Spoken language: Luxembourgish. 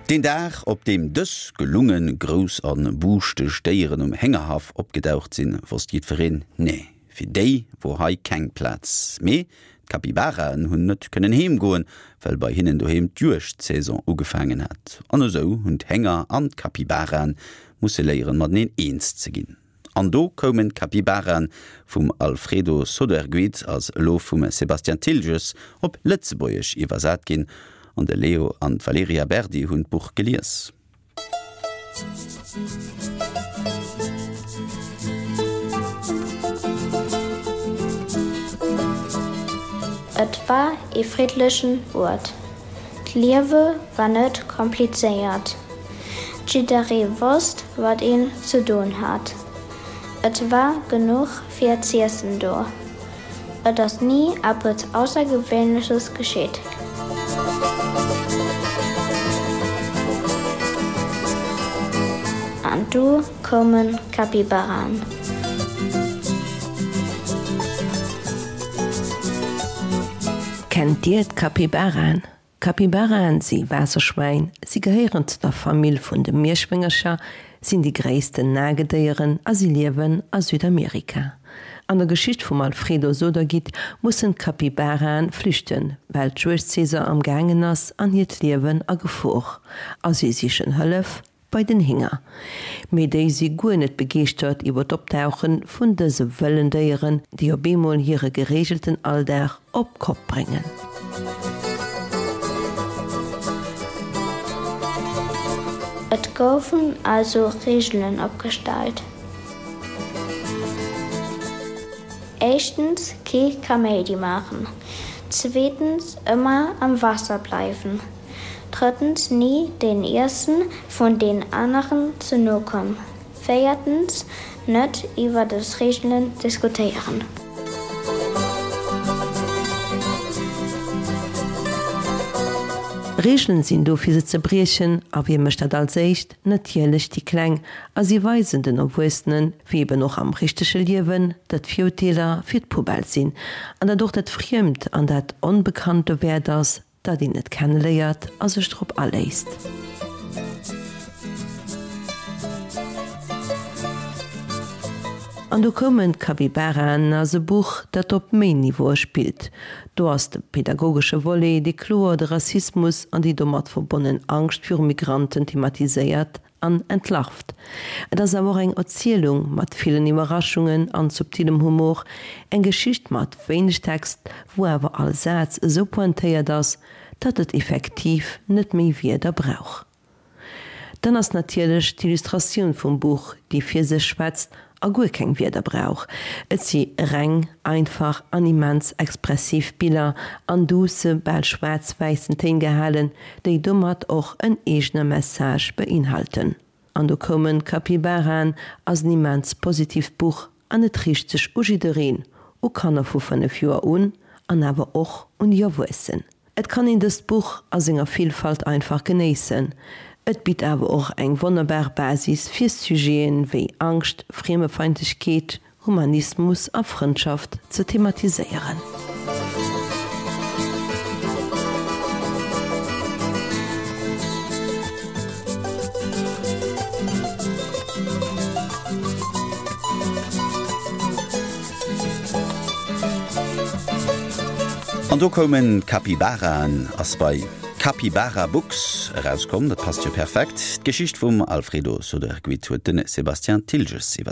Deen Dag, op deem dës gelunge grouss a buuschteg Déieren um Héngerhaff opgedaucht sinn, wosst jiddwereen, Nee, fir déi wor hei keng Plaz. Mee d'Capybaraen hunn net kënnen heem goen, well bei hinnen doheem d'Juegdsaison ugefaangen hat. An esou hunn d'Hénger an d'Capybaraen musse léieren, mateneen eens ze ginn. An do koumen d'Capybaraen vum Alfredo Soderguit, ass elo vum Sébastien Thiltges op Lëtzebuergesch iwwersat ginn, an de Leo an d'Valerija Berdi hunn d'Buch gelies. Et war ee friddlechen Uert. D'Liewe war net komplizéiert. Jidderee wosst, wat een ze doen hat. Et war genuch fir z'iessen do. Et ass ni eppes Aussergewéinleches geschitt. An du koumen d'Capybaraen. Kennt Dir d'Capybaraen? Capybaraen si Waasserschwäin, si gehéieren zu der Famill vun de Mierschwéngercher, sinn déi gréissten Nagedéieren a si liewen a Südamerika. An der Geschicht vum Alfredo Sodergit mussen d'Capybaraen flüchten, well d'Juegdsaison am gaangen ass an hiert Liewen a Gefor a si sichen Hëllef bei den Hinger. Mee déi si guer net begeeschtert iwwer d'Optauche vun dëse wëllen Déieren, déi op eemol hire gereegelten Alldag op d'Kopp bréngen. Et goufen also Reegelen opgestallt. Éischtens, kee Kaméidi maachen. Zweetens, ëmmer am Waasser bleiwen. Drëttens, ni den Iessen vun den aneren ze no kommen. Véiertens, net iwwer des Reegelen diskutéieren. Reegelen sinn do fir se ze briechen, a wie mécht dat als éischt? Natierlech déi Kleng, a si weisen den Erwuessenen, wéi eben och am richtege Liewen, datt Virurteeler fir d'Poubelle sinn, an datt och dat Friemt an dat Onbekannt dowäert ass, Datt een et kenneléiert a sech drop aléisst. An do koumen d'Capybaraen ass e Buch, dat op méi Niveaue spillt. Do ass de pedagogesche Volet, dee kloer de Rassismus an déi domat verbonnen Angscht viru Migranten thematiséiert, an entlarvt. Et ass awer och eng Erzielung mat villen Iwwerraschungen an subtilem Humor, eng Geschicht mat wéineg Text, wou awer all Saz esou pointéiert ass, datt et effektiv net méi Wierder brauch. Dann ass natierlech d'Illustratioun vum Buch, déi fir sech schwätzt a guer keng Wierder brauch. Et si reng, einfach an immens expressiv Biller an duusse, bal schwaarz-wäissen Téin gehalen, déi domat och en eegene Message beinhalten. An do koumen d'Capybaraen ass en immens positiivt Buch an et riicht sech u jiddereen, u Kanner vu 5 Joer un an awer och un déi Erwuessen. Et kann een dëst Buch a senger Villfalt einfach genéissen. Et bitt awer och eng wonnerbar Basis fir Sujeten wéi Angscht, Friemefeindlechkeet, Humanismus a Frëndschaft ze thematiséieren. An do koumen d'Capybaraen, ass bei Capybara Books erauskomm. Dat passt jo perfekt. D'Geschicht vum Alfredo Soderguit huet de Sébastien Thiltges iwwer.